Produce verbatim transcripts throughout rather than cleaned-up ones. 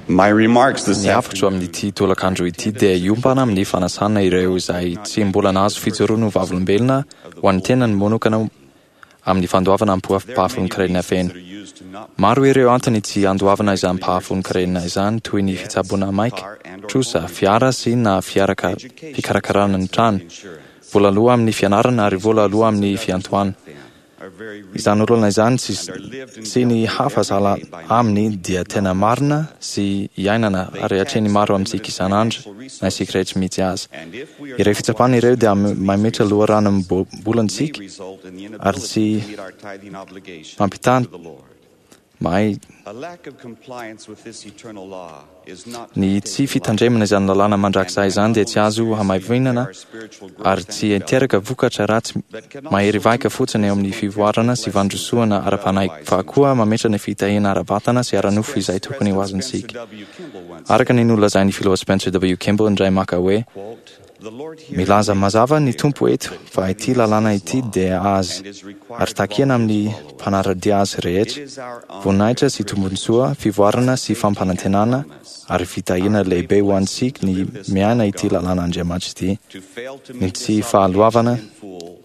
My remarks this Ny hafatro amin'ity tolakandro ity dia hiompana amin'ny fanasana ireo izay tsy mbola nahazo fijoroana ho vavolombelona ho an'ny tenany manokana amin'ny fandoavana ampahafolon-karena feno. Maro ireo antony tsy andoavana izany ampahafolon-karena izany toy ny fitsaboana maika, trosa, fiara sy na fiaraka fikarakarana ny trano, vola aloa amin'ny fianarana ary vola aloa amin'ny fiantohana. Izany olana izany sy, sy ny hafa sahala aminy dia tena marina sy iainana ary atrehin'ny maro amintsika isan'andro na isika rehetra mihitsy aza. Ireo fitsapana ireo dia mametra loharanom-bolantsika ary tsy mampitany mahay ny tsy fitandremana izany lalàna mandrakizay izany dia tsy azo hamaivinana ary tsy hiteraka vokatra ratsy mahery vaika fotsiny eo amin'ny fivoarana sy fandrosoana ara-panahy fa koa mametra ny fitahiana ara-batana sy ara-nofo izay tokony ho azontsika. Araka ny nolazain'ny filoha Spencer W. Kimball indray maka hoe milaza mazava ny Tompo eto fa ity lalàna ity dia azy ary takiana amin'ny mpanara-dia azy rehetra, voninahitra sy tombontsoa, fivoarana sy fampanantenana ary fitahiana lehibe ho antsika ny miaina ity lalàn'Andriamanitra ity. Ny tsy fahaloavana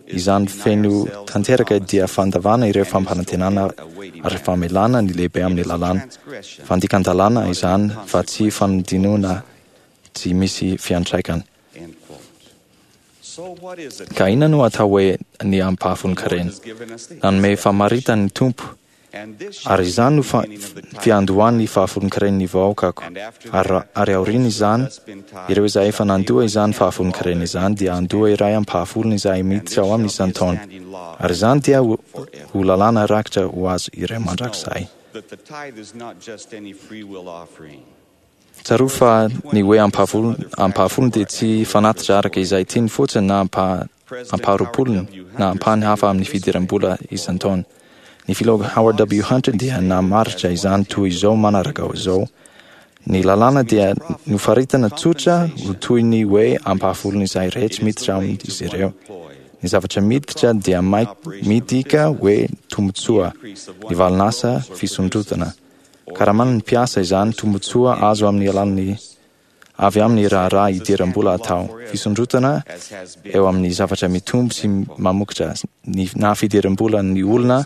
izany feno tanteraka dia fandavana ireo fampanantenana ary famelana ny lehibe amin'ny lalàna. Fandikan-dalàna izany fa tsy fanodinona tsy misy fiantraikany. Ka inona no atao hoe ny ampahafolon-karena? Nanome famaritany ny Tompo, ary izany no fa- fiandohan'ny fahafolon-karen'ny vahoakako. Ary, ary aorian'izany, ireo izay efa nandoa izany fahafolon-karena izany dia handoa iray ampahafolony izay miditra ao amin'ny isan-taona. Ary izany dia ho, ho lalàna rakitra ho azy ireo mandrakizay. Tsarovy fa ny hoe ampahafolony, ampahafolony dia tsy fanatitra araka izay tiany fotsiny na ampa, ampaharoapolony na ampahany hafa amin'ny fidiram-bola isan-taona. Ny filoha Howard W. Hunter dia namaritra izany toy izao manaraka izao. Ny lalàna dia nofaritana tsotra ho toy ny hoe ampahafolony izay rehetra miditra amin'izy ireo. Ny zavatra miditra dia midika hoe tombontsoa, ny valin'asa fisondrotana. Karaman'ny mpiasa izany tombontsoa azo amin'ny alalan'ny avy amin'ny raharaha idiram-bola atao. Fisondrotana eo amin'ny zavatra mitombo sy mamokatra ny na fidiram-bola ny olona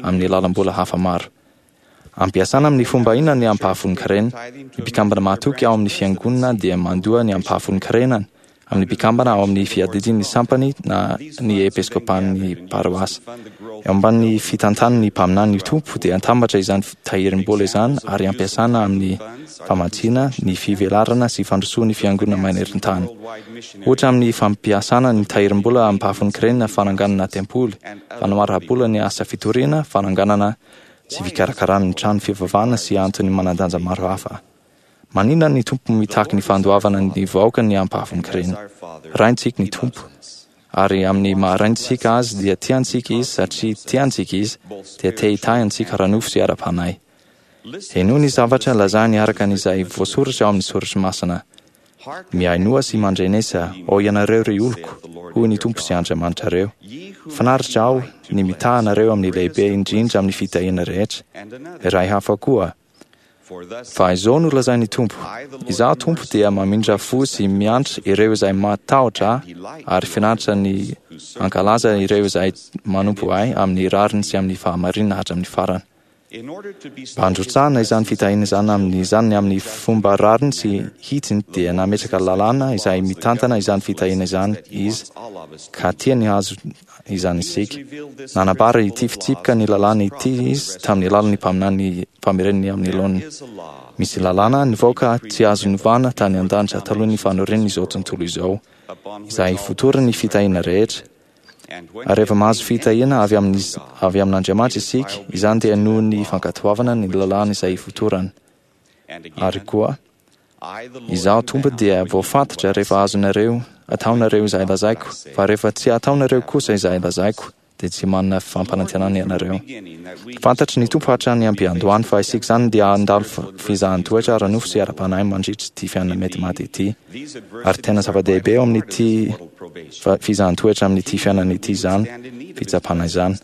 amin'ny alalam-bola hafa maro. Ampiasana amin'ny fomba inona ny ampahafolon-karena? Ny mpikambana mahatoky ao amin'ny fiangonana dia mandoa ny ampahafolon-karenany amin'ny mpikambana ao amin'ny fiadidian'ny sampany na ny episkopan'ny paroasy. Eo ambanin'ny fitantan'ny mpaminany ny Tompo dia atambatra izany tahirim-bola izany ary ampiasana amin'ny famatsiana ny fivelarana sy fandrosoan'ny fiangonana maneran-tany. Ohatra amin'ny fampiasana ny tahirim-bola ampahafolon-karena fananganana tempoly, fanoharam-bola ny asa fitoriana, fananganana sy fikarakarana ny trano fivavahana sy antony manan-danja maro hafa. Maninona ny Tompo mitaky ny fandoavana ny vahoaka ny ampahafolon-karena? Raintsika ny Tompo, ary amin'ny maha-raintsika azy dia tiantsika izy satria tiantsika izy dia te hitahy antsika ara-nofo sy ara-panahy. Henoy ny zavatra lazainy araka an'izay voasoratra ao amin'ny soratra masina. Mihainoa sy mandrenesa, ô ianareo ry oloko, hoy ny Tompo sy Andriamanitrareo. Finaritra aho ny mitaha anareo amin'ny lehibe indrindra amin'ny fitahiana rehetra. Iray hafa koa. Fa izao no lazain'ny Tompo, Izaho Tompo dia mamindra fo sy miantra ireo izay matahotra ahy ary finaritra ny hankalaza ireo izay manompo ahy amin'ny rariny sy amin'ny fahamarinana hatramin'ny farany. Mba handrotsahana izany fitahiana izany amin'izany amin'ny fomba rariny sy hitsiny dia nametraka lalàna izay mitantana izany fitahiana izany izy ka tiany hahazo izany isika. Nanambara ity fitsipika ny lalàna ity izy tamin'ny alalan'ny mpaminany mpamereniny amin'ny laoniny. Misy lalàna nivoaka tsy azo novana tany an-danitra talohan'ny fanorenan'izao tontolo izao, izay fotoran'ny fitahiana rehetra. Ary rehefa mahazo fitahiana avy amin'ny avy amin'Andriamanitra isika, izany dia noho ny fankatoavana ny lalàna izay fotorany. Ary koa, Izaho Tompo dia voafatotra rehefa azonareo ataonareo izay lazaiko, fa rehefa tsy ataonareo kosa izay lazaiko, dia tsy manana fampanantenana ianareo. Fantatry ny Tompo hatrany am-piandohany fa isika izany dia handalo fizahan-toetra ara-nofo sy ara-panahy mandritra ity fiainana mety maty ity. Ary tena zava-dehibe eo amin'ity fizahan-toetra amin'ity fiainana ity izany fitsapana izany.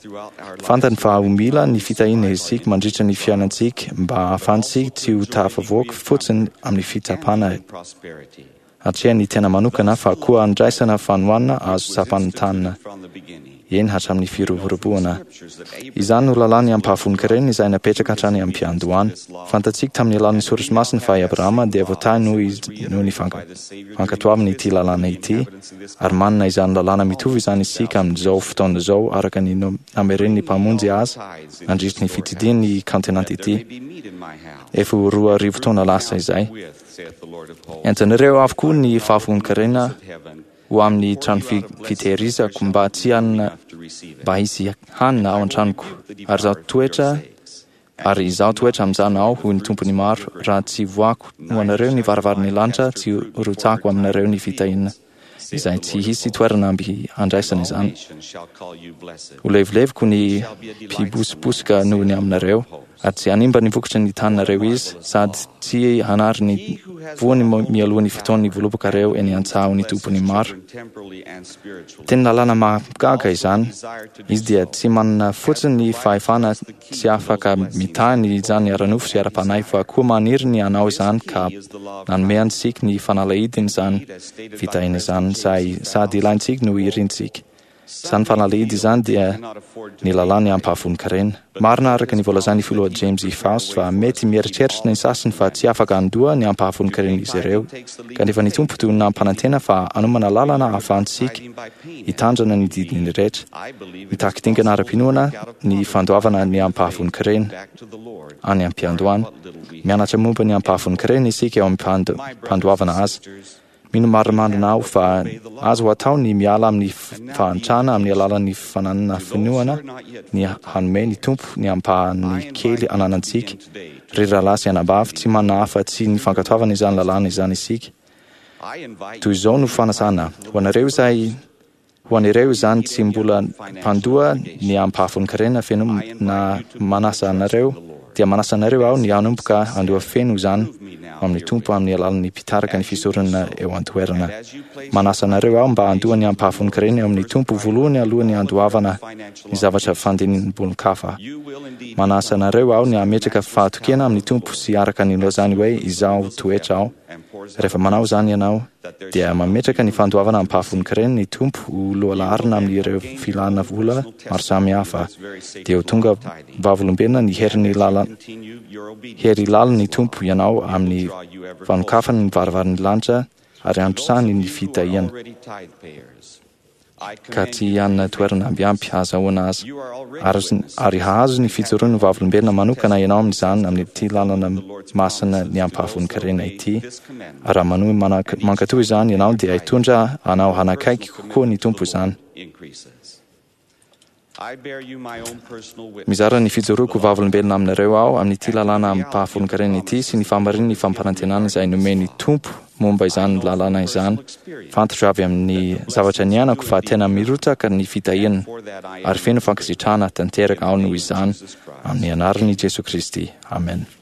Fantany fa ho mila ny fitahiana isika mandritra ny fiainantsika mba hahafahantsika tsy ho tafavoaka fotsiny amin'ny fitsapana hatrehan'ny tena manokana fa koa andraisana fanohanana azo tsapain-tanana eny hatramin'ny firoboroboana. Izany no lalàn'ny ampahafolon-karena izay napetraka hatrany am-piandohana. Fantatsika tamin'ny alalan'ny Soratra Masina fa i Abrahama dia voatahy noho izy noho ny fankatoavany ity lalàna ity, ary manana izany lalàna mitovy izany isika amin'izao fotoana izao araka ny nameren'ny Mpamonjy azy nandritra ny fitsidihany ny kaontinanta ity efa ho roa arivo taona lasa izay. Entinareo avokoa ny fahafolon-karena ho amin'ny trano fitehirizako mba tsy hanana mba hisy hanina ao an-tranoko. Ary izaho toetra ary izaho toetra amin'izany aho, hoy ny Tompon'ny maro, raha tsy voako ho anareo ny varavaran'ny lanitra, tsy rotsako aminareo ny fitahiana izay tsy hisy toerana amby handraisana izany. Ho levileviko ny mpibosobosoka noho ny aminareo, ary tsy hanimba ny vokatry ny taninareo izy, sady tsy hanary ny voany mialoha ny fotoan'ny voalobokareo eny an-tsaha ny Tompon'ny maro. Teny lalàna mahagaga izany. Izy dia tsy manana fotsiny ny fahefana tsy afaka mitahy ny izany ara-nofo sy ara-panahy fa koa maniry ny hanao izany ka nanome antsika ny fanalahidiny izany fitahiana izany sady ilaintsika no irintsika. Izany fanalahidy izany dia ny lalàn'ny ampahafolon-karena. Marina araka ny voalazan'ny filoha James E. Faust fa mety mieritreritra ny sasany fa tsy afaka handoa ny ampahafolon-karen'izy ireo. Kanefa ny Tompo no nampanantena fa hanomana lalana ahafahantsika hitandrana ny didiny rehetra. Mitaky dingana ara-pinoana ny fandoavana ny ampahafolon-karena any am-piandohana. Mianatra momba ny ampahafolon-karena isika eo am-pandoavana azy. Mino marimarina aho fa azo atao ny miala amin'ny fahantrana amin'ny alalan'ny fananana finoana ny hanome ny Tompo ny ampahany kely ananantsika. Ry rahalahy sy anabavy, tsy manana afa-tsy ny fankatoavana izany lalàna izany isika. Toy izao no fanasana ho anareo izay ho an'ireo izany tsy mbola mpandoa ny ampahafolon-karena feno na manasa anareo dia manasa anareo aho ny hanomboka handoa feno izany amin'ny Tompo amin'ny alalan'ny mpitarika ny fisoronana eo an-toerana. Manasa anareo aho mba handoa ny ampahafolon-karena eo amin'ny Tompo voalohany alohan'ny handoavana ny zavatra fandinim-bolon-kafa. Manasa anareo aho ny hametraka fahatokiana amin'ny Tompo sy araka ny nilazany hoe izaho toetra aho. Rehefa manao izany ianao dia mametraka ny fandoavana ampahafolon-karena ny Tompo ho lohalaharana amin'ireo filana vola maro samihafa. Dia ho tonga vavolombelona ny herin'ny lalana hery lalin'ny Tompo ianao amin'ny fanokafany ny varavaran'ny lanitra ary androsany ny fitahiana ka tsy hanana toerana ambiampy hahazahoana azy. Ary, ary hahazo ny fijoroan'ny vavolombelona manokana ianao amin'izany amin'ity lalana masina ny ampahafolon-karena ity. Ary raha manohy mankatò izany ianao dia hitondra anao hanakaiky kokoa ny Tompo izany. Mizara ny fijoroako vavolombelona aminareo aho amin'ity lalàna ampahafolon-karena ity sy ny fahamarinan'ny fampanantenana izay nomen'ny Tompo momba izany lalàna izany. Fantatro avy amin'ny zavatra niainako fa tena mirotsaka ny fitahiana ary feno fankasitrahana tanteraka aho noho izany amin'ny anaran'i Jesoa Kristy. Amen.